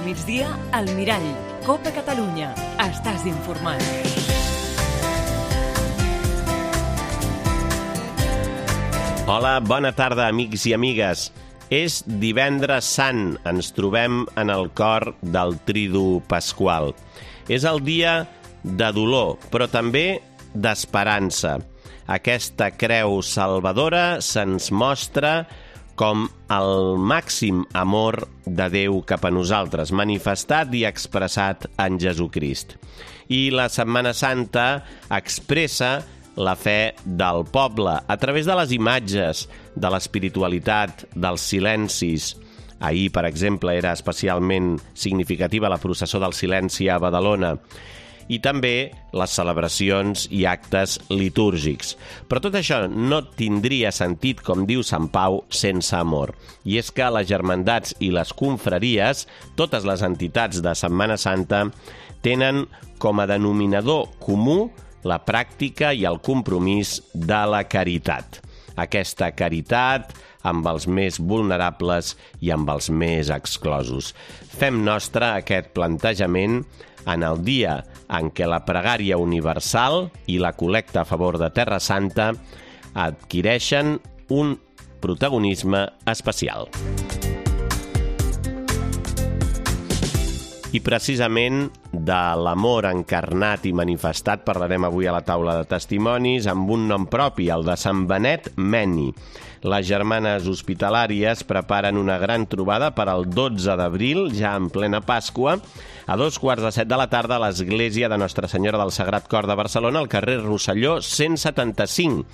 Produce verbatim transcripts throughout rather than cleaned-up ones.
migdia, al Mirall. Copa Catalunya. Estàs informat. Hola, bona tarda, amics i amigues. És divendres sant, ens trobem en el cor del Tridu Pasqual. És el dia de dolor, però també d'esperança. Aquesta creu salvadora se'ns mostra com el màxim amor de Déu cap a nosaltres, manifestat i expressat en Jesucrist. I la Setmana Santa expressa la fe del poble a través de les imatges, de l'espiritualitat, dels silencis. Ahir, per exemple, era especialment significativa la processó del silenci a Badalona, i també les celebracions i actes litúrgics. Però tot això no tindria sentit, com diu Sant Pau, sense amor. I és que les germandats i les confraries, totes les entitats de Setmana Santa, tenen com a denominador comú la pràctica i el compromís de la caritat. Aquesta caritat amb els més vulnerables i amb els més exclosos. Fem nostre aquest plantejament en el dia en què la pregària universal i la col·lecta a favor de Terra Santa adquireixen un protagonisme especial. I precisament de l'amor encarnat i manifestat parlarem avui a la taula de testimonis amb un nom propi, el de Sant Benet Meni. Les germanes hospitalàries preparen una gran trobada per al dotze d'abril, ja en plena Pasqua, a dos quarts de set de la tarda a l'església de Nostra Senyora del Sagrat Cor de Barcelona, al carrer Rosselló cent setanta-cinc.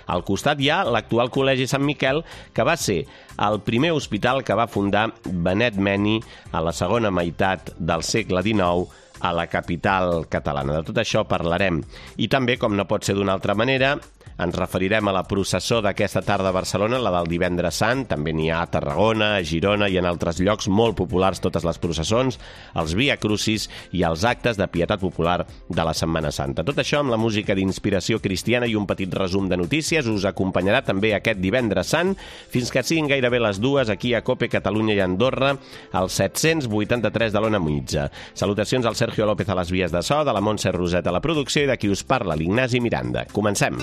Al costat hi ha l'actual Col·legi Sant Miquel, que va ser el primer hospital que va fundar Benet Meni a la segona meitat del segle dinou a la capital catalana. De tot això parlarem. I també, com no pot ser d'una altra manera, ens referirem a la processó d'aquesta tarda a Barcelona, la del divendres sant. També n'hi ha a Tarragona, a Girona i en altres llocs molt populars totes les processons, els Via Crucis i els actes de pietat popular de la Setmana Santa. Tot això amb la música d'inspiració cristiana i un petit resum de notícies us acompanyarà també aquest divendres sant fins que siguin gairebé les dues aquí a Cope Catalunya i Andorra, al set-cents vuitanta-tres de l'Ona Mitja. Salutacions al Sergio López a les vies de so, de la Montse Roset a la producció i de qui us parla, l'Ignasi Miranda. Comencem.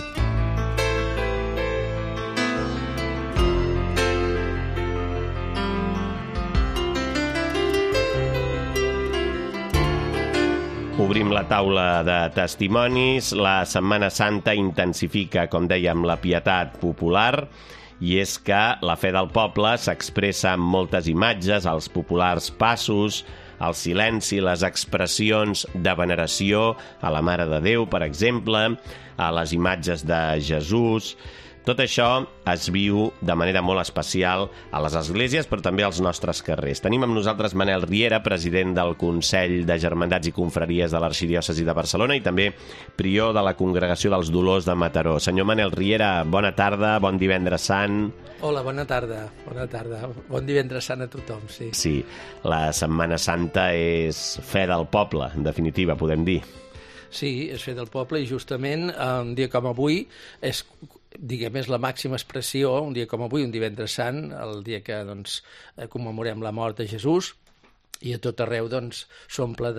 Obrim la taula de testimonis. La Setmana Santa intensifica, com dèiem, la pietat popular, i és que la fe del poble s'expressa amb moltes imatges, els populars passos, el silenci, les expressions de veneració a la Mare de Déu, per exemple, a les imatges de Jesús. Tot això es viu de manera molt especial a les esglésies, però també als nostres carrers. Tenim amb nosaltres Manel Riera, president del Consell de Germandats i Confraries de l'Arxidiòcesi de Barcelona i també prior de la Congregació dels Dolors de Mataró. Senyor Manel Riera, bona tarda, bon divendres sant. Hola, bona tarda, bona tarda. Bon divendres sant a tothom, sí. Sí, la Setmana Santa és fe del poble, en definitiva, podem dir. Sí, és fe del poble i justament un dia com avui és, diguem, és la màxima expressió, un dia com avui, un divendres sant, el dia que doncs, commemorem la mort de Jesús, i a tot arreu doncs, s'omple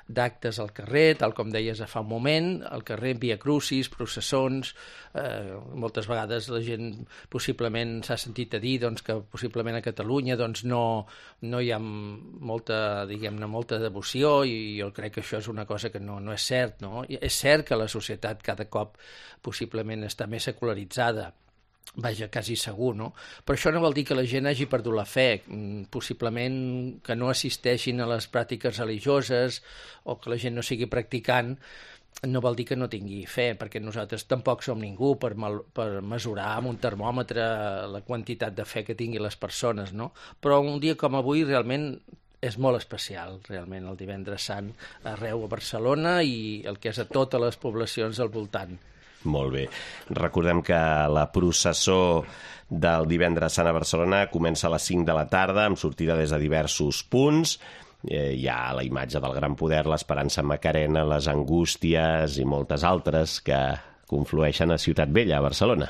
d'actes al carrer, tal com deies fa un moment, al carrer, Via Crucis, processons. Eh, moltes vegades la gent possiblement s'ha sentit a dir doncs, que possiblement a Catalunya doncs, no, no hi ha molta, diguem-ne, molta devoció, i jo crec que això és una cosa que no, no és cert. No? I és cert que la societat cada cop possiblement està més secularitzada, vaja, quasi segur, no? Però això no vol dir que la gent hagi perdut la fe, possiblement que no assisteixin a les pràctiques religioses o que la gent no sigui practicant, no vol dir que no tingui fe, perquè nosaltres tampoc som ningú per, mal, per mesurar amb un termòmetre la quantitat de fe que tinguin les persones, no? Però un dia com avui realment és molt especial, realment, el divendres sant arreu a Barcelona i el que és a totes les poblacions del voltant. Molt bé. Recordem que la processó del divendres sant a Barcelona comença a les cinc de la tarda, amb sortida des de diversos punts. Eh, hi ha la imatge del Gran Poder, l'Esperança Macarena, les Angústies i moltes altres que conflueixen a Ciutat Vella, a Barcelona.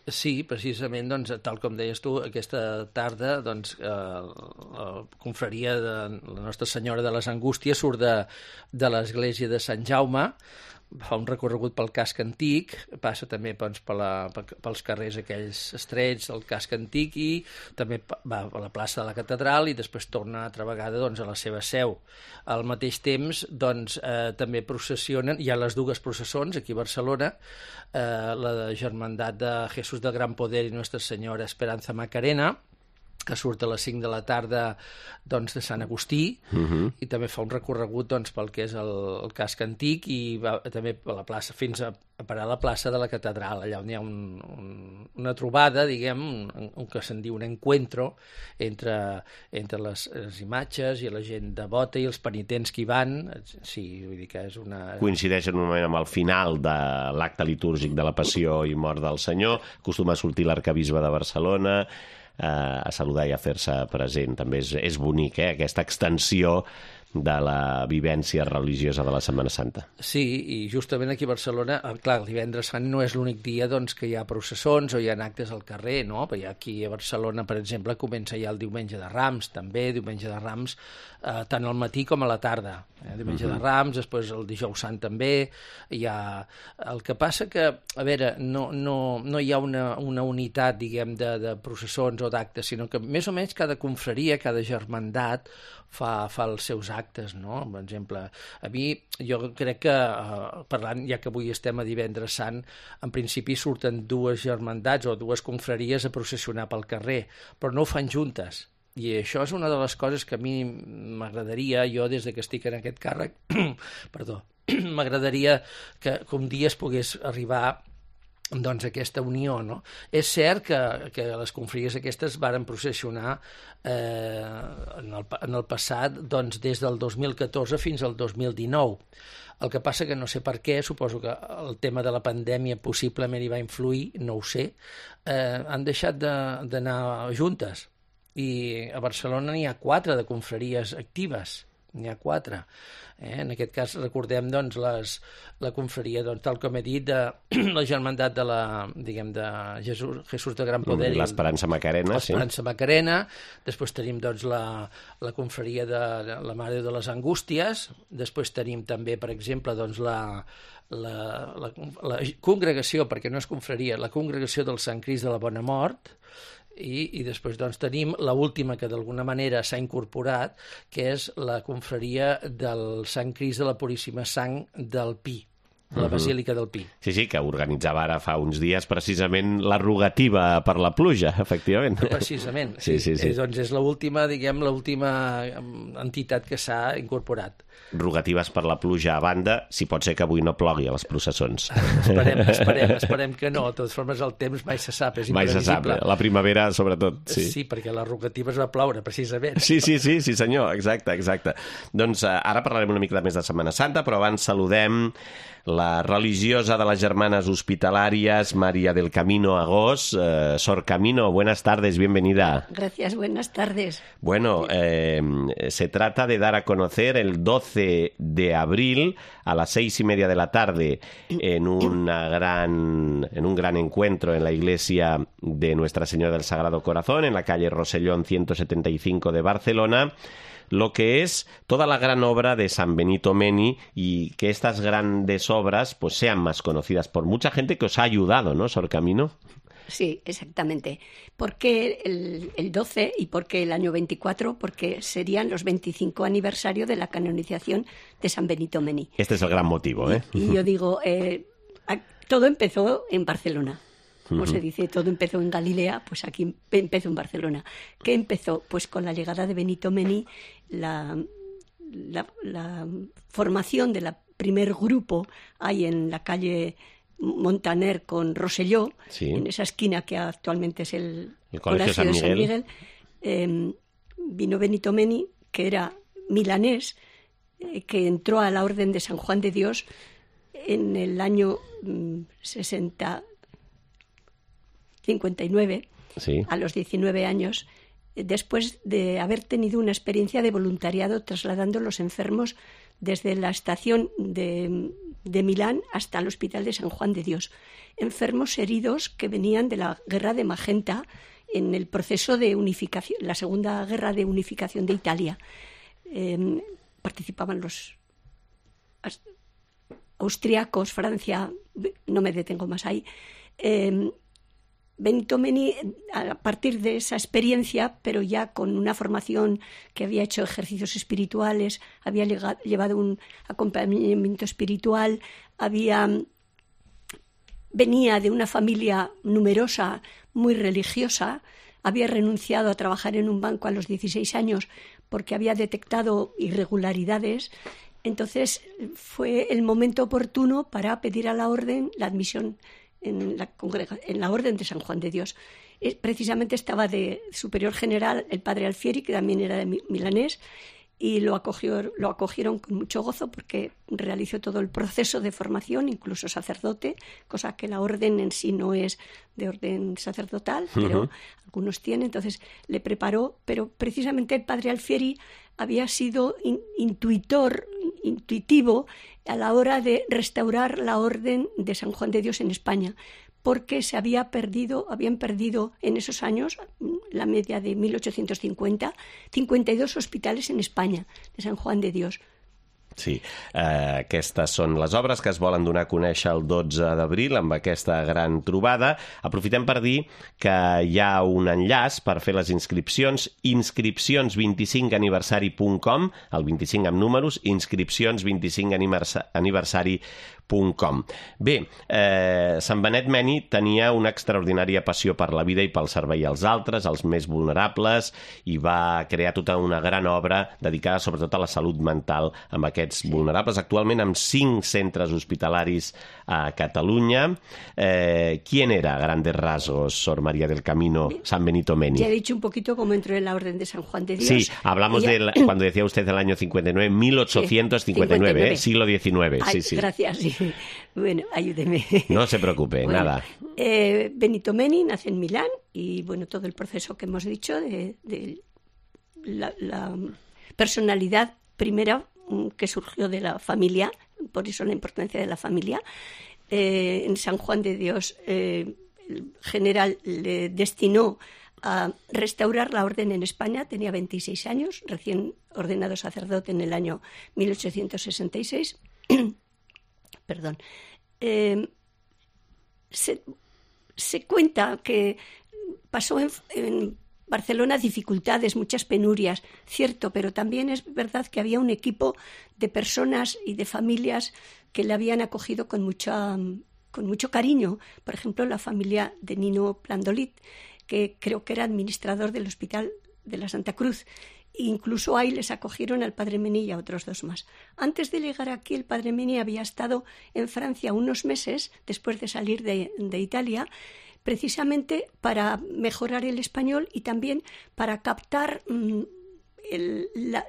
Sí, precisament, doncs, tal com deies tu, aquesta tarda doncs, eh, la confraria de la Nostra Senyora de les Angústies surt de, de l'església de Sant Jaume, fa un recorregut pel casc antic, passa també doncs, per la, pels carrers aquells estrets del casc antic i també va a la plaça de la Catedral i després torna altra vegada doncs, a la seva seu. Al mateix temps doncs, eh, també processionen, hi ha les dues processons aquí a Barcelona, eh, la Germandat de Jesús del Gran Poder i Nostra Senyora Esperanza Macarena, que surt a les cinc de la tarda doncs, de Sant Agustí, uh-huh. i també fa un recorregut doncs, pel que és el, el casc antic i va també a la plaça, fins a, a parar a la plaça de la Catedral, allà on hi ha un, un, una trobada, diguem, un, un que se'n diu un encuentro entre, entre les, les imatges i la gent devota i els penitents que hi van. Sí, vull dir que és una... Coincideix en un moment amb el final de l'acte litúrgic de la Passió i Mort del Senyor, acostuma a sortir l'arcabisbe de Barcelona, a saludar i a fer-se present. També és, és bonic, eh, aquesta extensió de la vivència religiosa de la Setmana Santa. Sí, i justament aquí a Barcelona, clar, el divendres sant no és l'únic dia doncs, que hi ha processons o hi ha actes al carrer, no? Perquè aquí a Barcelona, per exemple, comença ja el diumenge de Rams, també, diumenge de Rams, eh, tant al matí com a la tarda. Eh? Diumenge uh-huh. de Rams, després el dijous sant també. Hi ha... El que passa que, a veure, no, no, no hi ha una, una unitat, diguem, de, de processons o d'actes, sinó que més o menys cada confraria, cada germandat fa, fa els seus actes, no? Per exemple, a mi, jo crec que, eh, parlant, ja que avui estem a divendres sant, en principi surten dues germandats o dues confraries a processionar pel carrer, però no ho fan juntes. I això és una de les coses que a mi m'agradaria, jo des de que estic en aquest càrrec, perdó, m'agradaria que, que un dia es pogués arribar doncs aquesta unió, no? És cert que, que les confraries aquestes varen processionar eh, en, el, en el passat doncs, des del dos mil catorze fins al dos mil dinou. El que passa que no sé per què, suposo que el tema de la pandèmia possiblement hi va influir, no ho sé, eh, han deixat d'anar juntes. I a Barcelona n'hi ha quatre de confraries actives, n'hi ha quatre. Eh? En aquest cas recordem doncs, les, la confraria, doncs, tal com he dit, de la germandat de la, diguem, de Jesús, Jesús de Gran Poder. L'Esperança Macarena, sí. L'Esperança Macarena. Després tenim doncs, la, la confraria de la Mare de les Angústies. Després tenim també, per exemple, doncs, la, la, la, la congregació, perquè no és confraria, la congregació del Sant Crist de la Bona Mort. I, i després doncs, tenim l'última que d'alguna manera s'ha incorporat, que és la confraria del Sant Crist de la Puríssima Sang del Pi, de la Basílica del Pi. Sí, sí, que organitzava ara fa uns dies precisament la rogativa per la pluja, efectivament. Precisament, sí. sí, sí, sí. Eh, doncs és l'última, diguem, l'última entitat que s'ha incorporat. Rogatives per la pluja a banda, si pot ser que avui no plogui a les processons. Esperem, esperem, esperem que no. De totes formes, el temps mai se sap, és mai imprevisible. Mai se sap, la primavera sobretot, sí. Sí, perquè la rogativa es va ploure, precisament. Sí, sí, sí, sí senyor, exacte, exacte. Doncs uh, ara parlarem una mica més de Setmana Santa, però abans saludem la religiosa de las Germanas Hospitalarias, María del Camino Agós. Eh, Sor Camino, buenas tardes, bienvenida. Gracias, buenas tardes. Bueno, eh, se trata de dar a conocer el doce de abril a las seis y media de la tarde en, una gran, en un gran encuentro en la iglesia de Nuestra Señora del Sagrado Corazón, en la calle Rosellón ciento setenta y cinco de Barcelona, lo que es toda la gran obra de San Benito Meni, y que estas grandes obras pues sean más conocidas por mucha gente que os ha ayudado, ¿no, Sor Camino? Sí, exactamente. ¿Por qué el, el doce y por qué el año veinticuatro? Porque serían los veinticinco aniversario de la canonización de San Benito Meni. Este es el gran motivo, ¿eh? Y, y yo digo, eh, todo empezó en Barcelona. Como se dice, todo empezó en Galilea, pues aquí empezó en Barcelona. ¿Qué empezó? Pues con la llegada de Benito Meni, la, la, la formación de la primer grupo ahí en la calle Montaner con Rosselló, sí, en esa esquina que actualmente es el, el Colegio San Miguel, de San Miguel eh, vino Benito Meni, que era milanés, eh, que entró a la Orden de San Juan de Dios en el año mm, sesenta, cincuenta y nueve, sí, a los diecinueve años, después de haber tenido una experiencia de voluntariado trasladando los enfermos desde la estación de de Milán hasta el Hospital de San Juan de Dios. Enfermos heridos que venían de la Guerra de Magenta en el proceso de unificación, la Segunda Guerra de Unificación de Italia. Eh, participaban los austriacos, Francia, no me detengo más ahí. Eh, Benito Meni, a partir de esa experiencia, pero ya con una formación que había hecho ejercicios espirituales, había llevado un acompañamiento espiritual, había, venía de una familia numerosa, muy religiosa, había renunciado a trabajar en un banco a los dieciséis años porque había detectado irregularidades. Entonces fue el momento oportuno para pedir a la orden la admisión en la, en la Orden de San Juan de Dios. Precisamente estaba de superior general el padre Alfieri, que también era de milanés, y lo, acogió, lo acogieron con mucho gozo porque realizó todo el proceso de formación, incluso sacerdote, cosa que la orden en sí no es de orden sacerdotal, pero uh-huh. algunos tienen. Entonces le preparó, pero precisamente el padre Alfieri había sido in, intuitor, intuitivo a la hora de restaurar la Orden de San Juan de Dios en España, porque se había perdido, habían perdido en esos años, la media de mil ochocientos cincuenta, cincuenta y dos hospitales en España de San Juan de Dios. Sí, uh, aquestes són les obres que es volen donar a conèixer el dotze d'abril amb aquesta gran trobada. Aprofitem per dir que hi ha un enllaç per fer les inscripcions, inscripcions vint i cinc aniversari punt com, el vint-i-cinc amb números, inscripcions vint i cinc aniversari punt com. Bé, eh, Sant Benet Meni tenia una extraordinària passió per la vida i pel servei als altres, als més vulnerables, i va crear tota una gran obra dedicada sobretot a la salut mental amb aquests vulnerables, actualment amb cinc centres hospitalaris a Catalunya. Eh, ¿Quién era, a grandes rasgos, Sor María del Camino, San Benito Meni? Ya he dicho un poquito cómo entró en la Orden de San Juan de Dios. Sí, hablamos Ella... de, cuando decía usted el año cincuenta y nueve, mil ochocientos cincuenta y nueve, sí, cincuenta y nueve. ¿eh? Siglo diecinueve. Ay, sí, sí. Gracias, sí. Bueno, ayúdeme. No se preocupe, bueno, nada. Eh, Benito Meni nace en Milán y, bueno, todo el proceso que hemos dicho de, de la, la personalidad primera que surgió de la familia, por eso la importancia de la familia. Eh, en San Juan de Dios, eh, el general le destinó a restaurar la orden en España. Tenía veintiséis años, recién ordenado sacerdote en el año mil ochocientos sesenta y seis. Perdón. Eh, se, se cuenta que pasó en, en Barcelona dificultades, muchas penurias, cierto, pero también es verdad que había un equipo de personas y de familias que le habían acogido con, mucha, con mucho cariño. Por ejemplo, la familia de Nino Plandolit, que creo que era administrador del Hospital de la Santa Cruz. Incluso ahí les acogieron al padre Meni y a otros dos más. Antes de llegar aquí, el padre Meni había estado en Francia unos meses, después de salir de, de Italia, precisamente para mejorar el español y también para captar mmm, el, la,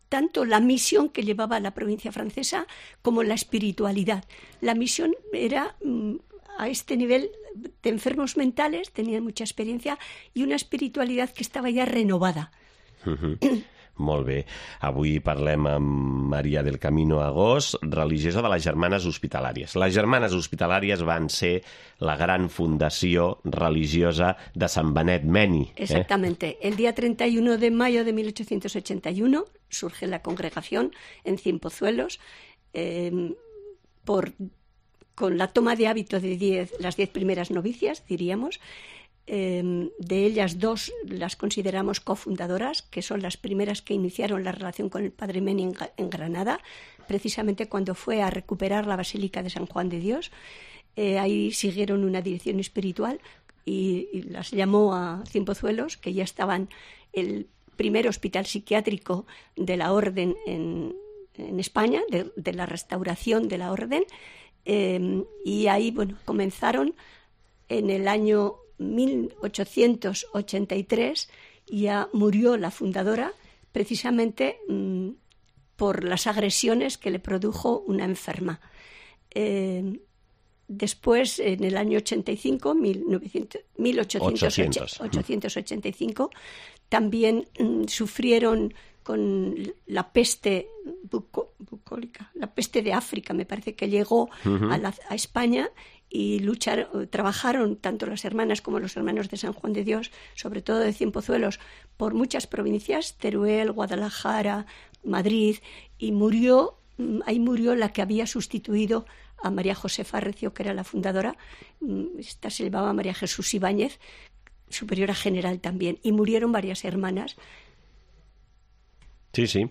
tanto la misión que llevaba la provincia francesa como la espiritualidad. La misión era mmm, a este nivel de enfermos mentales, tenían mucha experiencia y una espiritualidad que estaba ya renovada. Uh-huh. Molt bé. Avui parlem amb Maria del Camino Agós, religiosa de les Germanes Hospitalàries. Les Germanes Hospitalàries van ser la gran fundació religiosa de Sant Benet Meni. ¿eh? Exactamente. El día treinta y uno de mayo de mil ochocientos ochenta y uno surge la congregación en Cienpozuelos eh, por, con la toma de hábito de diez, las diez primeras novicias, diríamos. Eh, de ellas dos las consideramos cofundadoras, que son las primeras que iniciaron la relación con el padre Meni en, en Granada, precisamente cuando fue a recuperar la Basílica de San Juan de Dios. Eh, ahí siguieron una dirección espiritual y, y las llamó a Cienpozuelos, que ya estaban el primer hospital psiquiátrico de la orden en, en España, de, de la restauración de la orden, eh, y ahí bueno, comenzaron en el año mil ochocientos ochenta y tres. Ya murió la fundadora precisamente mmm, por las agresiones que le produjo una enferma. Eh, después, en el año ochenta y cinco, mil ochocientos ochenta y cinco, también mmm, sufrieron con la peste buco, bucólica, la peste de África, me parece que llegó uh-huh. a, la, a España, y lucharon, trabajaron tanto las hermanas como los hermanos de San Juan de Dios, sobre todo de Cienpozuelos, por muchas provincias, Teruel, Guadalajara, Madrid, y murió, ahí murió la que había sustituido a María Josefa Recio, que era la fundadora. Esta se llamaba María Jesús Ibáñez, superiora general también, i murieron varias hermanas. Sí, sí.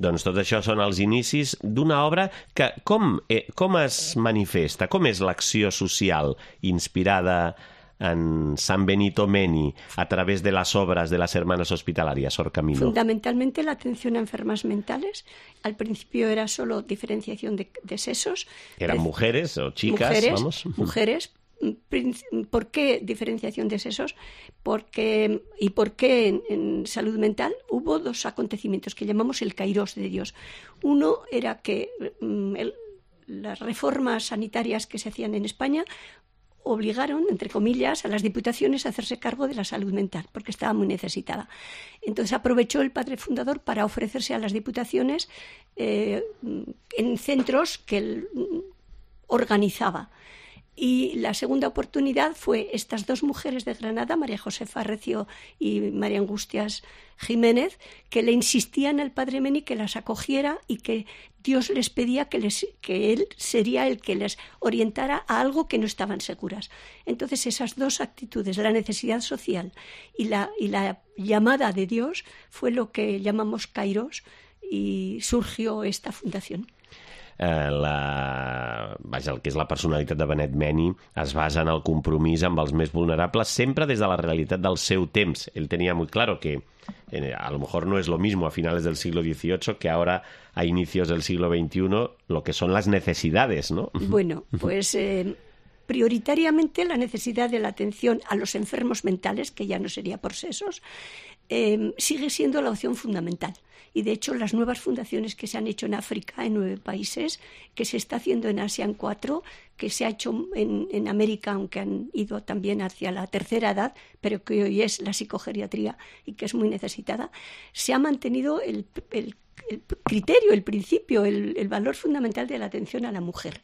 Doncs tot això són els inicis d'una obra que com, eh, com es manifesta, com és l'acció social inspirada en San Benito Meni a través de las obras de las hermanas hospitalarias, Sor Camilo? Fundamentalmente la atención a enfermas mentales. Al principio era solo diferenciación de, de sexos. ¿Eran de, mujeres o chicas? Mujeres, vamos. mujeres. ¿Por qué diferenciación de sexos? Porque, ¿y por qué en, en salud mental? Hubo dos acontecimientos que llamamos el Kairos de Dios. Uno era que mm, el, las reformas sanitarias que se hacían en España obligaron, entre comillas, a las diputaciones a hacerse cargo de la salud mental, porque estaba muy necesitada. Entonces aprovechó el padre fundador para ofrecerse a las diputaciones eh, en centros que él organizaba. Y la segunda oportunidad fue estas dos mujeres de Granada, María Josefa Recio y María Angustias Jiménez, que le insistían al padre Meni que las acogiera y que Dios les pedía que, les, que él sería el que les orientara a algo que no estaban seguras. Entonces esas dos actitudes, la necesidad social y la, y la llamada de Dios, fue lo que llamamos Kairos, y surgió esta fundación. La, vaja, el que és la personalitat de Benet Meni es basa en el compromís amb els més vulnerables, sempre des de la realitat del seu temps. Él tenía muy claro que eh, a lo mejor no es lo mismo a finales del siglo dieciocho que ahora a inicios del siglo veintiuno, lo que son las necesidades, ¿no? Bueno, pues eh, prioritariamente la necesidad de la atención a los enfermos mentales, que ya no sería por sexos, eh, sigue siendo la opción fundamental. Y de hecho las nuevas fundaciones que se han hecho en África, en nueve países, que se está haciendo en Asia en cuatro, que se ha hecho en, en América, aunque han ido también hacia la tercera edad, pero que hoy es la psicogeriatría y que es muy necesitada, se ha mantenido el, el, el criterio, el principio, el, el valor fundamental de la atención a la mujer.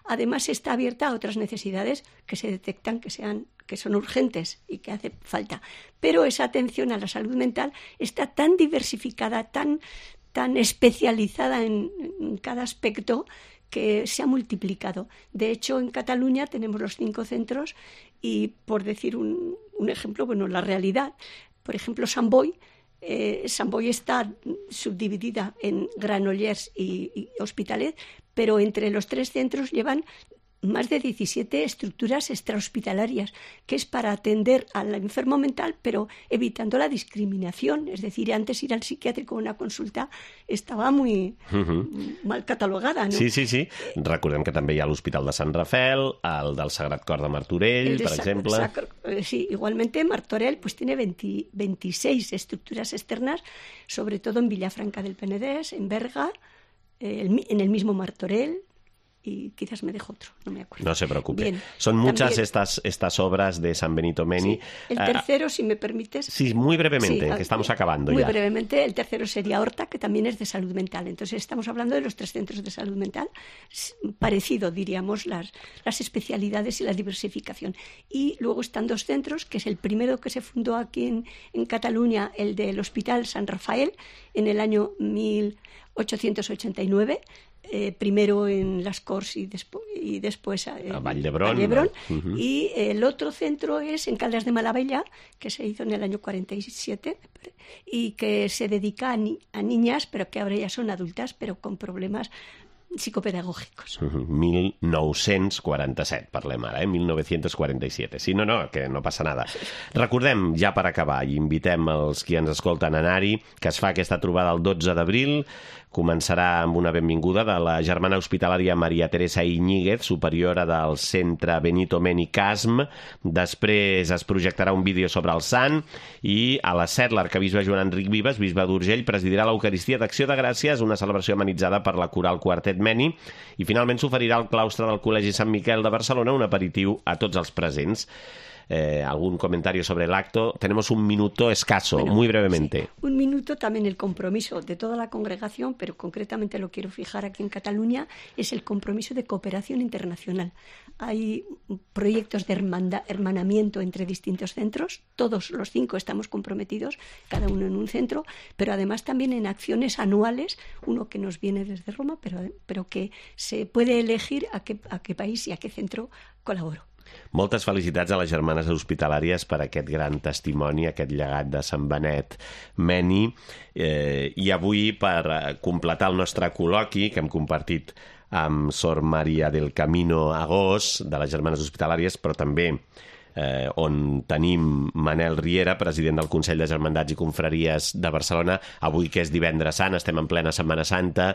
Además está abierta a otras necesidades que se detectan que sean que son urgentes y que hace falta. Pero esa atención a la salud mental está tan diversificada, tan, tan especializada en, en cada aspecto, que se ha multiplicado. De hecho, en Cataluña tenemos los cinco centros y, por decir un, un ejemplo, bueno, la realidad, por ejemplo, Sant Boi, eh, Sant Boi está subdividida en Granollers y, y Hospitalet, pero entre los tres centros llevan más de diecisiete estructuras extrahospitalarias, que es para atender al enfermo mental, pero evitando la discriminación. Es decir, antes ir al psiquiátrico a una consulta estava muy uh-huh. mal catalogada, no? Sí, sí, sí. Recordem que també hi ha l'Hospital de Sant Rafael, el del Sagrat Cor de Martorell, de per Sa- exemple. Sacro, sí, igualmente Martorell pues tiene veinte, veintiséis estructuras externas, sobre todo en Villafranca del Penedès, en Berga, eh, el, en el mismo Martorell, y quizás me dejo otro, no me acuerdo. No se preocupe. Bien, Son muchas estas, estas obras de San Benito Meni. Sí. El tercero, uh, si me permites... Sí, muy brevemente, sí, que estamos acabando muy ya. Muy brevemente, el tercero sería Horta, que también es de salud mental. Entonces estamos hablando de los tres centros de salud mental, parecido, diríamos, las, las especialidades y la diversificación. Y luego están dos centros, que es el primero que se fundó aquí en, en Cataluña, el del Hospital San Rafael, en el año mil ochocientos ochenta y nueve, Eh, primero en Las Corts y, despo- y después eh, a Vall d'Hebron. Vall ¿no? Uh-huh. Y el otro centro es en Caldas de Malavella, que se hizo en el año cuarenta y siete y que se dedica a, ni- a niñas, pero que ahora ya son adultas, pero con problemas psicopedagògics. Uh-huh. mil nou-cents quaranta-set, parlem ara, eh? mil nou-cents quaranta-set. Sí, no, no, que no passa nada. Recordem, ja per acabar, i invitem els qui ens escolten a anar-hi, que es fa aquesta trobada el dotze d'abril, començarà amb una benvinguda de la germana hospitalària Maria Teresa Iñiguez, superiora del centre Benito Meni Casm. Després es projectarà un vídeo sobre el sant i a les set l'arquebisbe Joan Enric Vives, bisbe d'Urgell, presidirà l'Eucaristia d'Acció de Gràcies, una celebració amenitzada per la coral Quartet Meni, i finalment s'oferirà al claustre del Col·legi Sant Miquel de Barcelona un aperitiu a tots els presents. eh, algún comentario sobre el acto. Tenemos un minuto escaso, bueno, muy brevemente. Sí. Un minuto también el compromiso de toda la congregación, pero concretamente lo quiero fijar aquí en Cataluña, es el compromiso de cooperación internacional. Hay proyectos de hermandad, hermanamiento entre distintos centros, todos los cinco estamos comprometidos, cada uno en un centro, pero además también en acciones anuales, uno que nos viene desde Roma, pero, pero que se puede elegir a qué, a qué país y a qué centro colaboro. Moltes felicitats a les germanes hospitalàries per aquest gran testimoni, aquest llegat de Sant Benet Meni. Eh, I avui, per completar el nostre col·loqui, que hem compartit amb Sor Maria del Camino Agós, de les germanes hospitalàries, però també eh, on tenim Manel Riera, president del Consell de Germandats i Confraries de Barcelona. Avui, que és divendres sant, estem en plena Setmana Santa.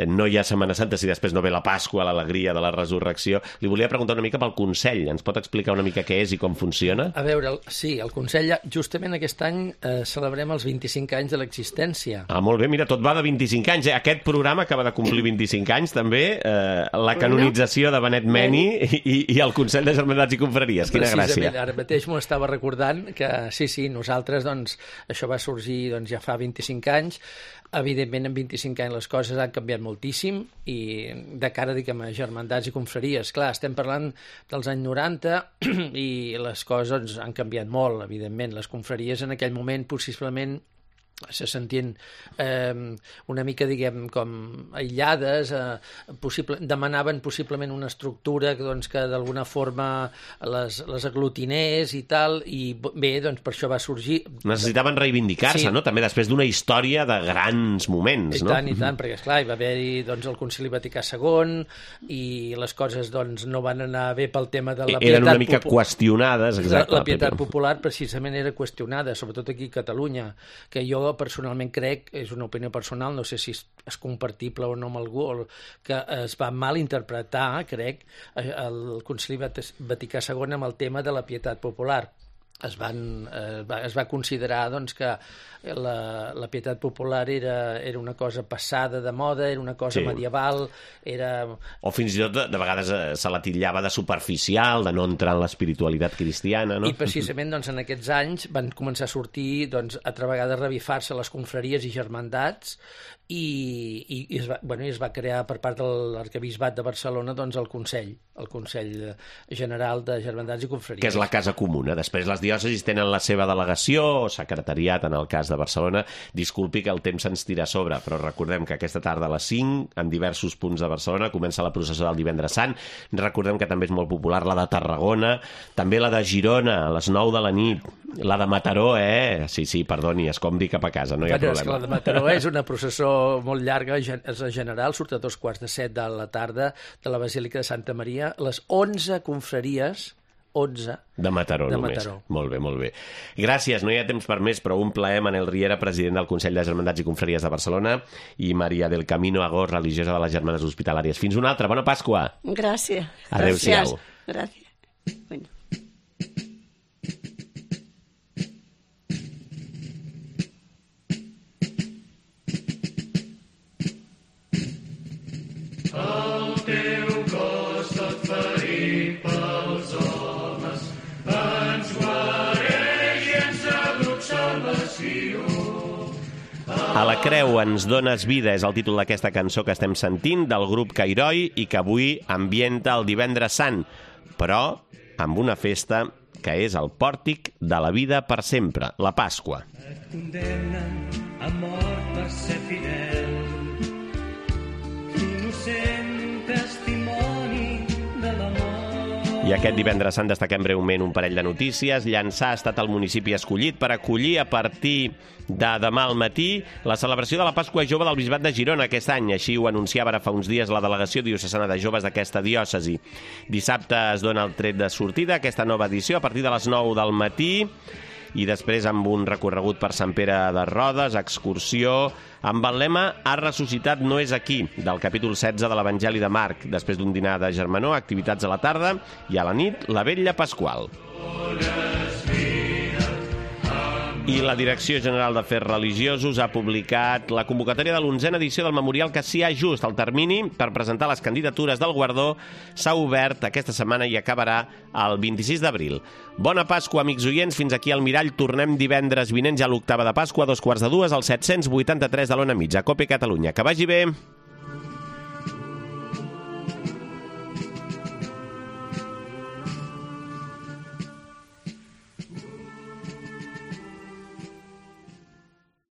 No hi ha Setmana Santa si després no ve la Pasqua, l'alegria de la resurrecció. Li volia preguntar una mica pel Consell. Ens pot explicar una mica què és i com funciona? A veure, sí, el Consell, justament aquest any eh, celebrem els vint-i-cinc anys de l'existència. Ah, molt bé, mira, tot va de vint-i-cinc anys. Eh? Aquest programa acaba de complir vint-i-cinc anys, també. Eh, la canonització de Benet Meni i, i el Consell de Germandats i Confraries. Quina gràcia. Ara mateix m'ho estava recordant que sí, sí, nosaltres, doncs, això va sorgir doncs, ja fa vint-i-cinc anys. Evidentment, en vint-i-cinc anys les coses han canviat moltíssim i de cara, diguem, a germandats i confraries. Clar, estem parlant dels anys noranta i les coses han canviat molt, evidentment. Les confraries en aquell moment possiblement se sentien eh, una mica, diguem, com aïllades, eh, possible, demanaven possiblement una estructura doncs, que d'alguna forma les, les aglutinés i tal, i bé, doncs per això va sorgir... Necessitaven reivindicar-se, sí. No? També després d'una història de grans moments, I no? I tant, i tant, perquè, esclar, hi va haver-hi doncs, el Concili Vaticà segon i les coses doncs, no van anar bé pel tema de la Eren pietat... Eren una mica popu... qüestionades, exacte. La, la pietat popular precisament era qüestionada, sobretot aquí a Catalunya, que jo personalment crec, és una opinió personal, no sé si és compartible o no amb algú, que es va mal interpretar, crec, el Concili Vaticà segon amb el tema de la pietat popular. Es, van, eh, va, es va considerar doncs, que la, la pietat popular era, era una cosa passada de moda, era una cosa sí. medieval, era... O fins i tot de, de vegades se la titllava de superficial, de no entrar en l'espiritualitat cristiana, no? I precisament doncs, en aquests anys van començar a sortir, doncs, altra vegada revifar-se les confraries i germandats i, i, i, es va, bueno, i es va crear per part de l'Arquebisbat de Barcelona doncs, el Consell, el Consell General de Germandats i Confraries. Que és la casa comuna. Després les diòcesis tenen la seva delegació o secretariat en el cas de Barcelona. Disculpi que el temps se'ns tira a sobre, però recordem que aquesta tarda a les cinc, en diversos punts de Barcelona, comença la processó del Divendres Sant. Recordem que també és molt popular la de Tarragona, també la de Girona, a les nou de la nit, la de Mataró, eh? Sí, sí, perdoni, escombri cap a casa, no hi ha bueno, problema. És que la de Mataró és una processó molt llarga, és la general, surt a dos quarts de set de la tarda de la Basílica de Santa Maria, les onze confraries, onze de Mataró de només. Mataró. Molt bé, molt bé. Gràcies, no hi ha temps per més, però un plaer, Manel Riera, president del Consell de Germandats i Confraries de Barcelona, i Maria del Camino Agós, religiosa de les Germanes Hospitalàries. Fins una altra, bona Pasqua. Gràcies. Adéu-siau. Gràcies. Bueno. El teu cos tot ferit pels homes ens guareix i ens abrut salvació. A la creu ens dones vida és el títol d'aquesta cançó que estem sentint del grup Cairoi i que avui ambienta el Divendres Sant, però amb una festa que és el pòrtic de la vida per sempre, la Pasqua. Et condemnen a mort per ser fidel, innocent testimoni de l'amor. I aquest Divendres Sant destaquem breument un parell de notícies. Llançà ha estat el municipi escollit per acollir a partir de demà al matí la celebració de la Pasqua Jove del Bisbat de Girona aquest any. Així ho anunciava ara fa uns dies la delegació diocesana de joves d'aquesta diòcesi. Dissabte es dona el tret de sortida a aquesta nova edició a partir de les nou del matí i després amb un recorregut per Sant Pere de Rodes, excursió amb el lema "Ha ressuscitat, no és aquí", del capítol setze de l'Evangeli de Marc. Després d'un dinar de germanor, activitats a la tarda i a la nit, la vetlla pasqual. I la Direcció General d'Afers Religiosos ha publicat la convocatòria de l'onzena edició del Memorial Cassià Just. El termini per presentar les candidatures del guardó s'ha obert aquesta setmana i acabarà el vint-i-sis d'abril. Bona Pasqua, amics oients. Fins aquí al Mirall. Tornem divendres vinent ja a l'octava de Pasqua, a dos quarts de dues, al set-cents vuitanta-tres de l'Ona Mitja, a Cope Catalunya. Que vagi bé!